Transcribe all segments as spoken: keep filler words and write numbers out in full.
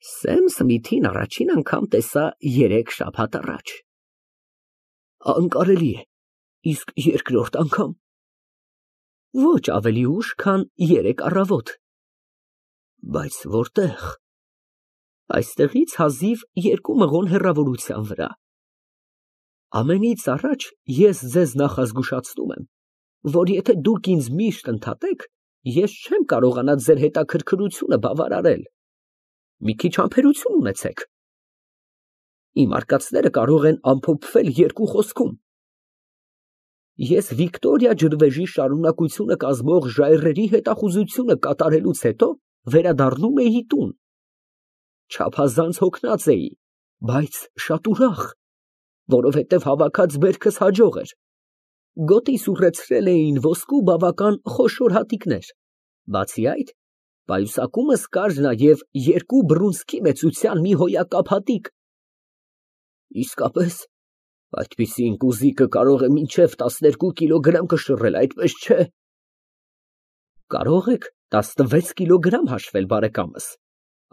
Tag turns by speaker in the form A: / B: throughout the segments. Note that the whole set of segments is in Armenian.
A: Սեմ Սմիթին առաջին անգամ տեսա երեք շաբաթ առաջ։ Անկարելի է, իսկ երկրորդ անգամ։ Ոչ ավելի ուշ, քան երեկ առավոտ։ Բայց որտեղ։ Այստեղից հազիվ երկու մղոն հեռավորության վրա։ Ամենից առաջ ես ձեզ նախազգուշացնում եմ, որ եթե դուք ինձ միշտ ընդհատեք, ես չեմ կարողանա ձեր հետաքրքրությունը բավարարել։ Մի քիչ համբերություն ունեցեք։ Իմ արկածները կարող են ամփոփվել երկու խոսքում։ Ես Վիկտորիա ջրվեժի շարունակությունը կազմող ժայռերի հետախուզությունը կատարելուց հետո վերադառնում էի տուն։ Չափազանց հոգնած էի, բայց շատ ուրախ, որովհետև հավաքած բերքս հաջող էր։ Գոտիս ուռեցրել էին ոսկու բավական խոշոր հատիկներ։ Բացի այդ, պայուսակումս կար նաև երկու բռունցքի մեծության մի հոյակապ հատիկ։ Իսկապես, այդպիսին կուզիկը կարող է մինչև տասներկու կիլոգրամ կշռել, այդպես չէ։ Կարող եք տասնվեց կիլոգրամ հաշվել, բարեկամս,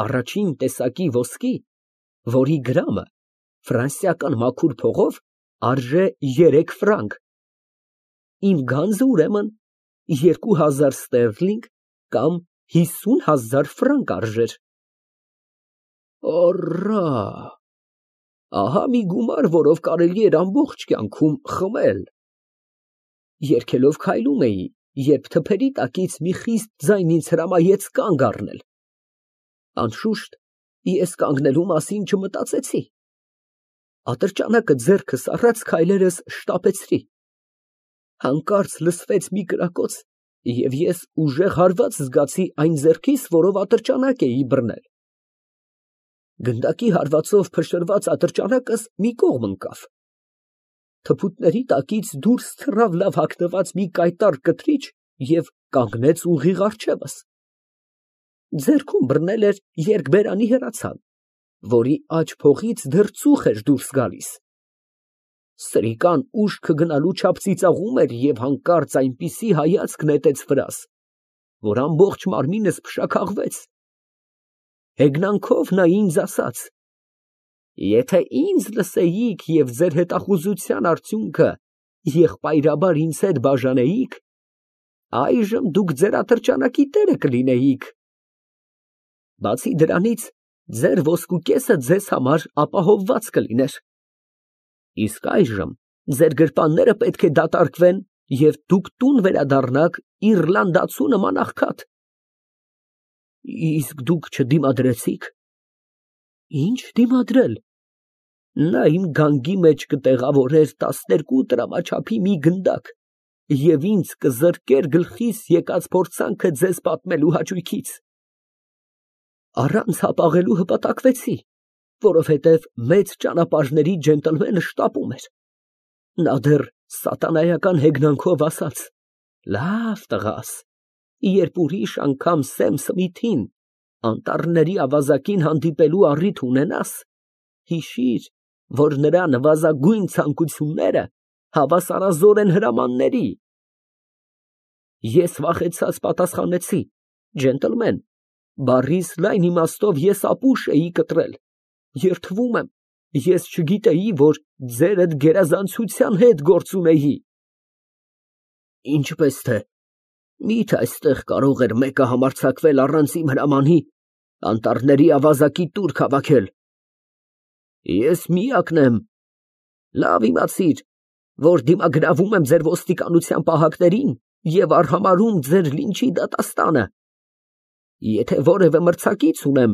A: առաջին տեսակի ոսկի, որի գրամը ֆրանսիական մաքուր փողով արժե երեք ֆրանկ։ Իմ գանձը ուրեմն երկու հազար ստերլինգ կամ հիսուն հազար ֆրանկ արժեր։ Ոռա, ահա մի գումար, որով կարելի էր ամբողջ կյանքում խմել։ Երգելով քայլում էի, երբ թփերի տակից մի խիստ ձայն ինձ հրամայեց կանգ առնել։ Անշուշտ, ես կանգնելու մասին չմտածեցի։ Ատրճանակը ձեռքս առած քայլերս շտապեցրի։ Հանկարծ լսվեց մի կրակոց, և ես ուժեղ հարված զգացի այն ձեռքիս, որով ատրճանակ էի բռնել։ Գնդակի հարվածով փշրված ատրճանակս մի կողմ ընկավ։ Թփուտների տակից դուրս թռավ լավ հագնված մի կայտառ կտրիչ և կանգնեց ուղիղ առջևս։ Ձեռքում բռնել էր երկբերանի հրացան, որի աջ փողից դեռ ծուխ էր դուրս գալիս։ Սրիկան ուշքը գնալու չափ ծիծաղում էր և հանկարծ այնպիսի հայացք նետեց վրաս, որ ամբողջ մարմինս փշաքաղվեց։ Հեգնանքով նա ինձ ասաց. «Եթե ինձ լսեիք և ձեր հետախուզության արդյունքը եղբայրաբար ինձ հետ բաժանեիք, այժմ դուք ձեր ատրճանակի տերը կլինեիք։ Բացի դրանից, ձեր ոսկու կեսը ձեզ համար ապահովված կլիներ։ Իսկ այժմ ձեր գրպանները պետք է դատարկվեն, և դուք տուն վերադառնաք իռլանդացու նման աղքատ»։ Իսկ դուք չդիմադրեցի՞ք։ Ինչ դիմադրել։ Նա իմ գանգի մեջ կտեղավորեր տասներկու տրամաչափի մի գնդակ և ինձ կզրկեր գլխիս եկած փորձանքը ձեզ պատմելու հաճույքից։ Առանց հապաղելու հպատակվեցի, որովհետև մեծ ճանապարհների ջենտլմենը շտապում էր։ Նա դեռ սատանայական հեգնանքով ասաց. «Լավ, տղաս, երբ ուրիշ անգամ Սեմ Սմիթին անտառների ավազակին հանդիպելու առիթ ունենաս, հիշիր, որ նրա նվազագույն ցանկությունները հավասարազոր են հրամանների»։ Ես վախեցած պատասխանեցի. «Ջենտլմեն, բառիս լայն իմաստով ես ապուշ էի կտրել, երդվում եմ, ես չգիտեի, որ ձերդ գերազանցության հետ գործ ունեի»։ Ինչպես թե, մի՞թե այստեղ կարող էր մեկը համարձակվել առանց իմ հրամանի անտառների ավազակի տուրք հավաքել։ Ես միակն եմ։ Լավ իմացիր, որ դիմագրավում եմ ձեր ոստիկանության պահակներին և արհամարհում ձեր լինչի դատաստանը։ Եթե որևէ մրցակից ունեմ,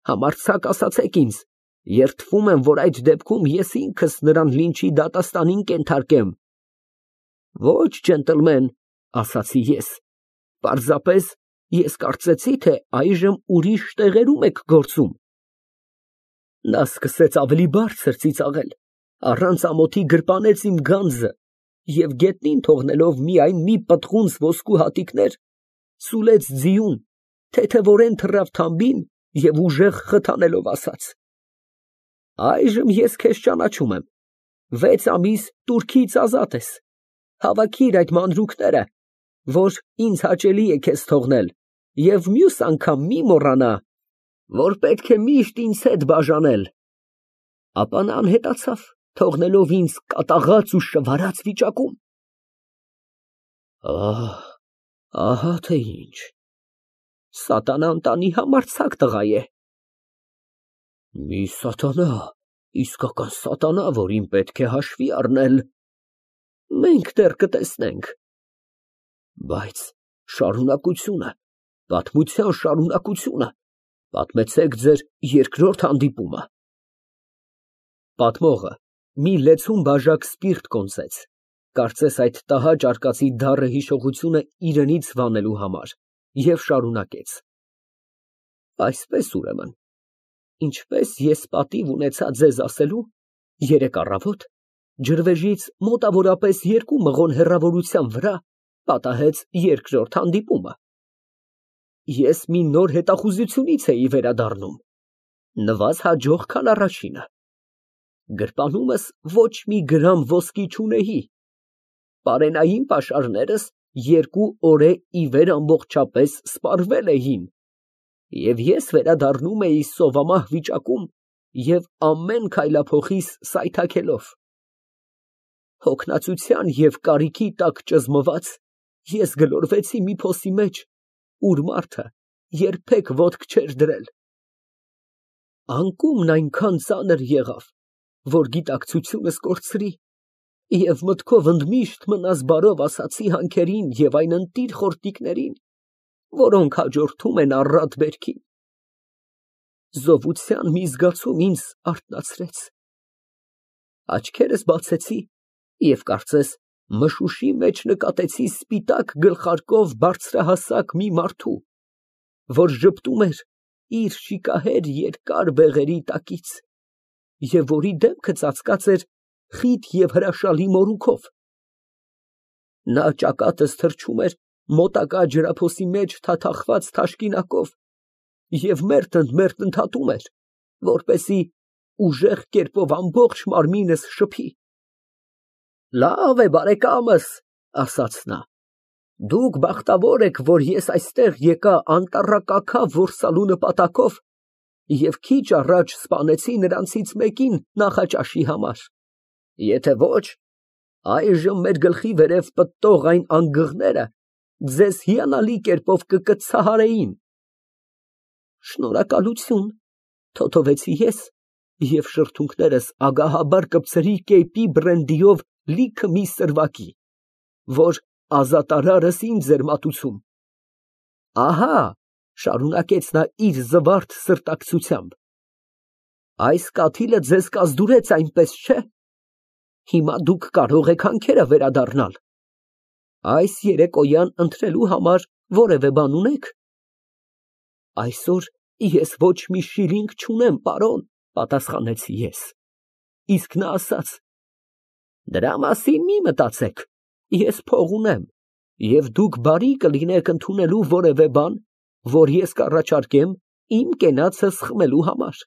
A: համարձակ ասացեք ինձ, երդվում եմ, որ այդ դեպքում ես ինքս նրան լինչի դատաստանին կենթարկեմ։ Ոչ, ջենտլմեն, ասացի ես, պարզապես ես կարծեցի, թե այժմ ուրիշ տեղերում եք գործում։ Նա սկսեց ավելի բարձր ծիծաղել, առանց ամոթի գրպանեց իմ գանձը և գետնին թողնելով միայն մի պտղունց ոսկու հատիկներ, սուլեց ձիուն, թեթևորեն թռավ թամբին և ուժեղ խթանելով ասաց. «Այժմ ես քեզ ճանաչում եմ, վեց ամիս տուրքից ազատ ես, հավաքիր այդ մանրուքները, որ ինձ հաճելի է քեզ թողնել, և մյուս անգամ մի մոռանա, որ պետք է միշտ ինձ հետ բաժանել։ Ապա նա անհետացավ, թողնելով ինձ կատաղած ու շվարած վիճակում։ Ահ, ահա թե ինչ, սատանան տանի համարձակ տղա է։ Մի սատանա, իսկական սատանա, որին պետք է հաշվի առնել։ Մենք դեռ կտեսնենք։ Բայց շարունակությունը, պատմության շարունակությունը, պատմեցեք ձեր երկրորդ հանդիպումը։ Պատմողը մի լեցուն բաժակ սպիրտ կոնծեց, կարծես այդ տհաճ արկածի դառը հիշողությունը իրենից վանելու համար, և շարունակեց. Այսպես ուրեմն, ինչպես ես պատիվ ունեցա ձեզ ասելու, երեկ առավոտ ջրվեժից մոտավորապես երկու մղոն հեռավորության վրա պատահեց երկրորդ հանդիպումը։ Ես մի նոր հետախուզությունից էի վերադառնում, նվազ հաջող, քան առաջինը։ Գրպանումս ոչ մի գրամ ոսկի չունեի, պարենային պաշարներս երկու օր ի վեր ամբողջապես սպառվել էին, և ես վերադառնում էի սովամահ վիճակում և ամեն քայլափոխիս սայթաքելով։ Հոգնածության և կարիքի տակ ճզմված, ես գլորվեցի մի փոսի մեջ, ուր մարդը երբեք ոտք չէր դրել։ Անկումն այնքան ծանր եղավ, որ գիտակցությունս կորցրի, և մտքով ընդմիշտ մնաս բարով ասացի հանքերին և այն ընտիր խորտիկներին, որոնք հաջորդում են առատ բերքին։ Զովության մի զգացում ինձ արթնացրեց։ Աչքերս բացեցի և կարծես մշուշի մեջ նկատեցի սպիտակ գլխարկով բարձրահասակ մի մարդու, որ ժպտում էր իր շիկահեր երկար բեղերի տակից, և որի դեմքը ծածկած էր խիտ և հրաշալի մորուքով։ Նա ճակատս թռչում էր մոտակա ջրափոսի մեջ թաթախված թաշկինակով և մերթ ընդ մերթ ընդհատում էր, որպեսզի ուժեղ կերպով ամբողջ մարմինս շփի։ Լավ է, բարեկամս, ասաց նա, դուք բախտավոր եք, որ ես այստեղ եկա անտառակաքավ որսալու նպատակով և քիչ առաջ սպանեցի նրանցից մեկին նախաճաշի համար, եթե ոչ, այժմ մեր գլխի վերև պտտող այն անգղները ձեզ հիանալի կերպով կկցահարեին։ Շնորհակալություն, թոթովեցի ես և շրթունքներս ագահաբար կպցրի կեպի բրենդիով լիքը մի սրվակի, որ ազատարարս ինձ էր մատուցում։ Ահա, շարունակեց նա իր զվարթ սրտակցությամբ, այս կաթիլը ձեզ կազդուրեց, այնպես չէ։ Հիմա դուք կարող եք հանքերը վերադառնալ։ Այս երեկոյան ընթրելու համար որևէ բան ունե՞ք։ Այսօր ես ոչ մի շիլինգ չունեմ, պարոն, պատասխանեցի ես։ Իսկ նա ասաց. դրա մասին մի մտածեք, ես փող ունեմ, և դուք բարի կլինեք ընդունելու որևէ բան, որ ես կառաջարկեմ իմ կենացս խմելու համար։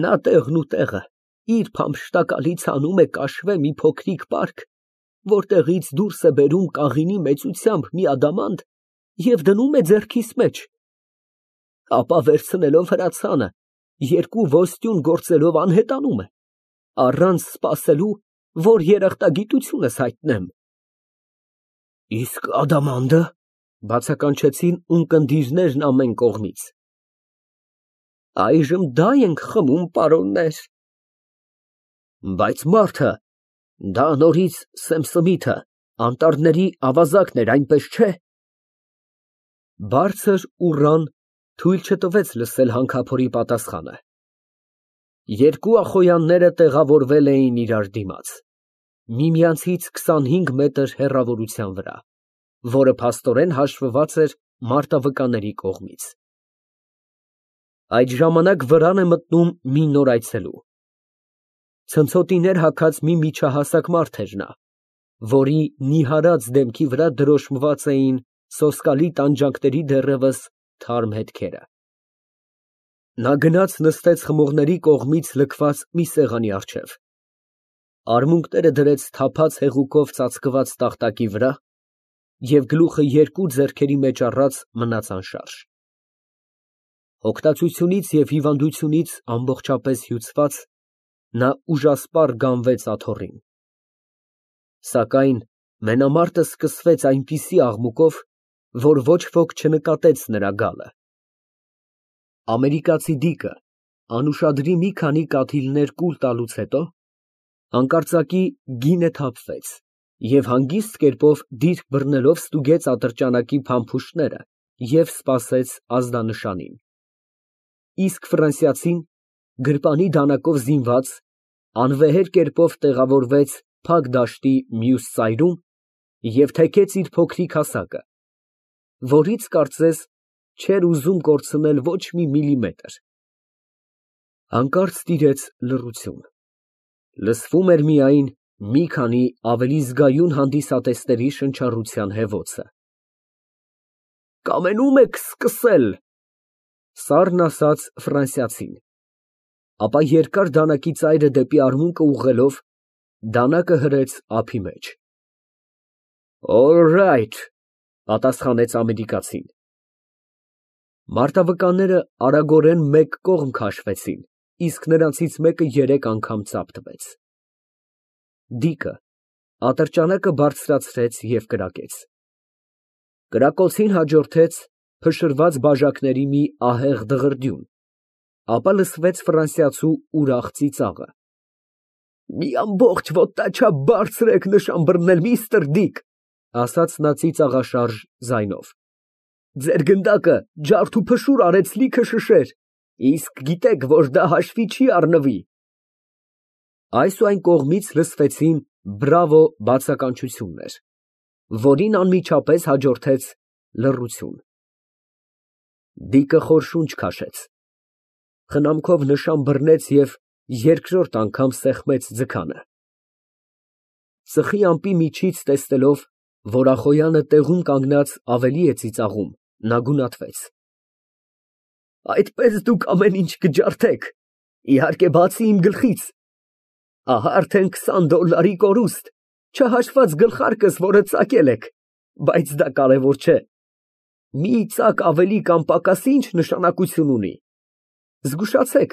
A: Նա տեղն ու տեղը իր փամփշտակալից հանում է կաշվե մի փոքրիկ պարկ, որտեղից դուրս է բերում կաղինի մեծությամբ մի ադամանդ և դնում է ձեռքիս մեջ, ապա վերցնելով հրացանը, երկու ոսტյուն գործելով անհետանում է, առանց սպասելու, որ երախտագիտությունս հայտնեմ։ Իսկ ադամանդը, բացականչեցին ունկնդիրներն ամեն կողմից։ Այժմ դա ենք խմում, պարոններ։ Բայց մարդը, դա նորից Սեմսմիթը, անտառների ավազակն էր, այնպես չէ։ Բարձր ուռան թույլ չտվեց լսել հանքափորի պատասխանը։ Երկու ախոյանները տեղավորվել էին իրար դիմաց, միմյանցից քսանհինգ մետր հեռավորության վրա, որը փաստորեն հաշվված էր մարտավկանների կողմից։ Այդ ժամանակ վրան է մտնում մի նոր այցելու։ Ցնցոտիներ հագած մի միջահասակ մարդ էր նա, որի նիհարած դեմքի վրա դրոշմված էին սոսկալի տանջանքների դեռևս թարմ հետքերը։ Նա գնաց նստեց խմողների կողմից լքված մի սեղանի առջև, արմունկները դրեց թափած հեղուկով ծածկված տախտակի վրա և գլուխը երկու ձեռքերի մեջ առած մնաց անշարժ։ Հոգնածությունից և հիվանդությունից ամբողջապես հյուծված, նա ուժասպառ գանվեց աթոռին։ Սակայն մենամարտը սկսվեց այնպիսի աղմուկով, որ ոչ ոք չնկատեց նրա գալը։ Ամերիկացի դիկը անուշադրի մի քանի կաթիլներ կուլ տալուց հետո հանկարծակի գինը թափվեց և հանգիստ կերպով դիրք բռնելով ստուգեց ատրճանակի փամփուշտները և սպասեց ազդանշանին։ Իսկ ֆրանսիացին, գրպանի դանակով զինված, անվեհեր կերպով տեղավորվեց փակ դաշտի մյուս ծայրում և թեքեց իր փոքրիկ հասակը, որից, կարծես, չէր ուզում կորցնել ոչ մի միլիմետր։ Հանկարծ տիրեց լռություն, լսվում էր միայն մի քանի ավելի զգայուն հանդիսատեսների շնչառության հևոցը։ ֊ Կամենում եք սկսել, ֊ սառն ասաց ֆրանսիացին, ապա երկար դանակի ծայրը դեպի արմունկը ուղղելով, դանակը հրեց ափի մեջ։ Օլրայթ, ֊ պատասխանեց ամերիկացին։ Մարտավկանները արագորեն մեկ կողմ քաշվեցին, իսկ նրանցից մեկը երեք անգամ ծափ տվեց։ Դիկը ատրճանակը բարձրացրեց և կրակեց։ Կրակոցին հաջորդեց փշրված բաժակների մի ահեղ դղրդյուն, ապա լսվեց ֆրանսիացու ուրախ ծիծաղը։ ֊ Մի ամբողջ ոտնաչափ բարձր եք նշան բռնել, միստր Դիկ, ֊ ասաց նա ծիծաղաշարժ ձայնով։ Ձեր գնդակը ջարդ ու փշուր արեց լիքը շշեր, իսկ գիտեք, որ դա հաշվի չի առնվի։ Այս ու այն կողմից լսվեցին բրավո բացականչություններ, որին անմիջապես հաջորդեց լռություն։ Դիկը խոր շունչ քաշեց, խնամքով նշան բռնեց և երկրորդ անգամ սեղմեց ձգանը։ Ծխի ամպի միջից տեսնելով, որ Ախոյանը տեղում կանգնած ավելի է ծիծաղում, նա գունատվեց։ Այդպես դուք ամեն ինչ կջարդեք, իհարկե, բացի իմ գլխից, ահա արդեն քսան դոլարի կորուստ, չհաշված գլխարկս, որը ծակել եք, բայց դա կարևոր չէ։ Մի ծակ ավելի կամ պակաս ինչ նշանակություն ունի։ Զգուշացեք,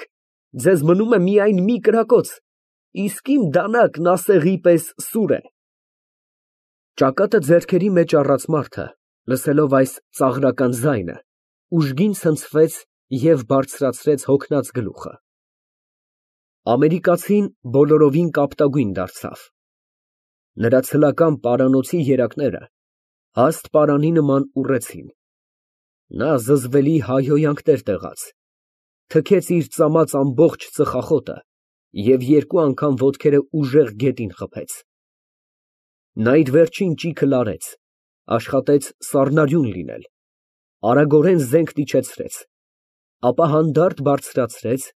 A: ձեզ մնում է միայն մի կրակոց, իսկ իմ դանակն ասեղի պես սուր է։ Ճակատը ձեռքերի մեջ առած մարդը, լսելով այս ծաղրական ձայնը, ուժգին ցնցվեց և բարձրացրեց հոգնած գլուխը։ Ամերիկացին բոլորովին կապտագույն դարձավ։ Նրա ցլական պարանոցի երակները հաստ պարանի նման ուռեցին։ Նա զզվելի հայհոյանքներ տեղաց, թքեց իր ծամած ամբողջ ծխախոտը և երկու անգամ ոտքերը ուժեղ գետին խփեց։ Նա իր վերջին ճիգը լարեց, աշխատեց սառնարյուն լինել, արագորեն զենք իջեցրեց, ապա հանդարտ բարձրացրեց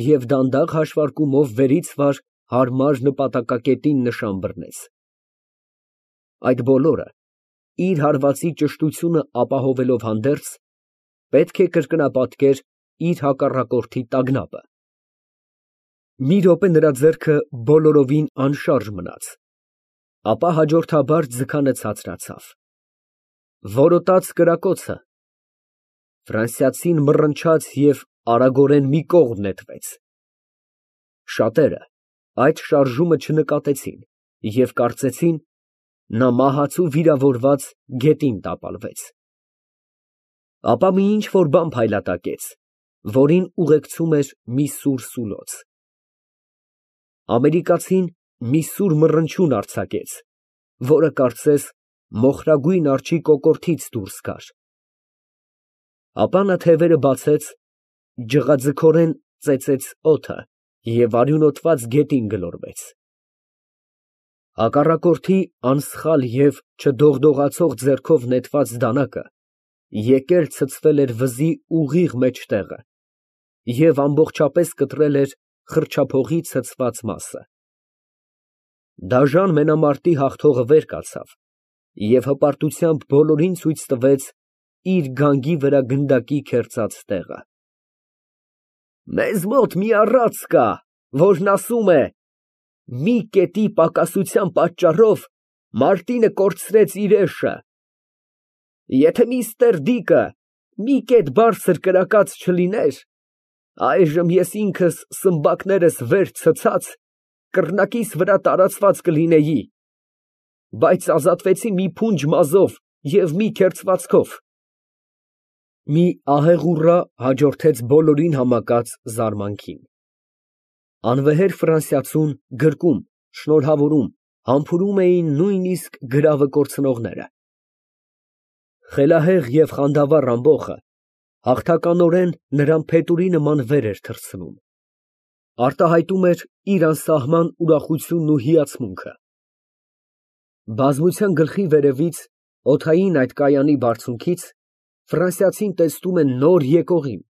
A: և դանդաղ հաշվարկումով վերից վար հարմար նպատակակետին նշան բռնեց։ Այդ բոլորը, իր հարվածի ճշտությունը ապահովելով հանդերձ, պետք է կրկնապատկեր իր հակառակորդի տագնապը։ Մի րոպե նրա ձեռքը բոլորովին անշարժ մնաց, ապա հաջորդաբար ձգանը ցածրացավ։ Որոտաց կրակոցը։ Ֆրանսիացին մռնչաց և արագորեն մի կողմ նետվեց։ Շատերը այդ շարժումը չնկատեցին և կարծեցին, նա մահացու վիրավորված գետին տապալվեց։ Ապա մի ինչ֊որ բան փայլատակեց, որին ուղեկցում էր մի սուր սուլոց։ Ամերիկացին մի սուր մռնչյուն արձակեց, որը, կարծես, մոխրագույն արջի կոկորդից դուրս գար։ Ապա նա թևերը բացեց, ջղաձգորեն ծեծեց օդը և արյունոտված գետին գլորվեց։ Հակառակորդի անսխալ և չդողդողացող ձեռքով նետված դանակը եկել ցցվել էր վզի ուղիղ մեջտեղը և ամբողջապես կտրել էր խրճափողի ցցված մասը։ Դաժան մենամարտի հաղթողը վեր կացավ և հպարտությամբ բոլորին ցույց տվեց իր գանգի վրա գնդակի քերծած տեղը։ Մեզ մոտ մի առածք կա, որն ասում է. «Մի կետի պակասության պատճառով Մարտինը կորցրեց իր էշը»։ Եթե միստր Դիկը մի կետ բարձր կրակած չլիներ, այժմ ես ինքս սմբակներս վեր ցցած, կռնակիս վրա տարածված կլինեի, բայց ազատվեցի մի փունջ մազով և մի քերծվածքով։ Մի ահեղ ուռա հաջորդեց բոլորին համակած զարմանքին։ Անվեհեր ֆրանսիացուն գրկում, շնորհավորում, համբուրում էին նույնիսկ գրավը կորցնողները։ Խելահեղ և խանդավառ ամբոխը հաղթականորեն նրան փետուրի նման վեր էր թռցնում, արտահայտում էր իր անսահման ուրախությունն ու հիացմունքը։ Բազմության գլխի վերևից, օդային այդ կայանի բարձունքից, ֆրանսիացին տեսնում է նոր եկողին,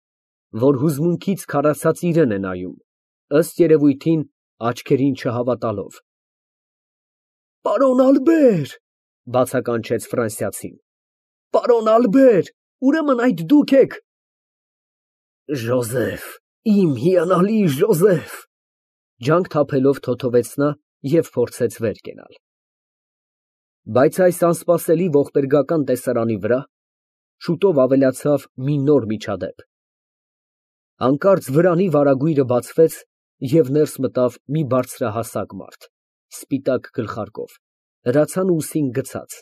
A: որ հուզմունքից քարացած իրան է նայում, ըստ երևույթին աչքերին չհավատալով։ Պարոն Ալբեր, ֊ բացականչեց ֆրանսիացին, ֊ պարոն Ալբեր, ուրեմն այդ դուք եք… Ժոզեֆ, իմ հիանալի Ժոզեֆ… ջանք թափելով թոթվեց նա և փորձեց վեր կենալ։ Բայց այս անսպասելի ողբերգական տեսարանի վրա շուտով ավելացավ մի նոր միջադեպ։ Հանկարծ վրանի վարագույրը բացվեց, և ներս մտավ մի բարձրահասակ մարդ, սպիտակ գլխարկով, հրացանը ուսին գցած,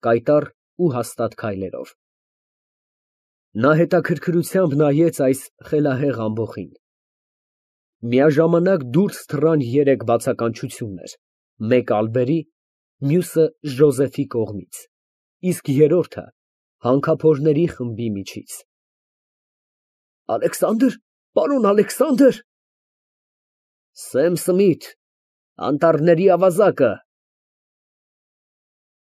A: կայտառ ու հաստատ քայլերով։ Նա հետաքրքրությամբ նայեց այս խելահեղ ամբոխին։ Միաժամանակ դուրս թռան երեք բացականչություններ, մեկը Ալբերի, մյուսը Ժոզեֆի կողմից, իսկ երրորդը հանքափորների խմբի միջից։ Ալեքսանդր, պարոն Ալեքսանդր… Սեմ Սմիթ, անտառների ավազակը,